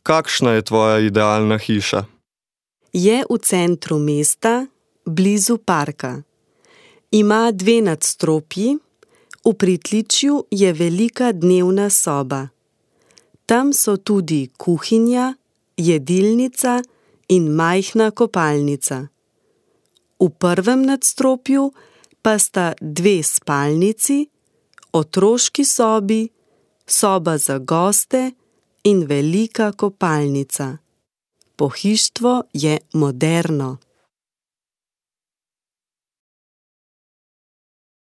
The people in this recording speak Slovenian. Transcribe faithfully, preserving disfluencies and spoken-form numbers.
Kakšna je tvoja idealna hiša? Je v centru mesta, blizu parka. Ima dve nadstropji, v pritličju je velika dnevna soba. Tam so tudi kuhinja, jedilnica in majhna kopalnica. V prvem nadstropju pa sta dve spalnici, otroški sobi, soba za goste in velika kopalnica. Pohištvo je moderno.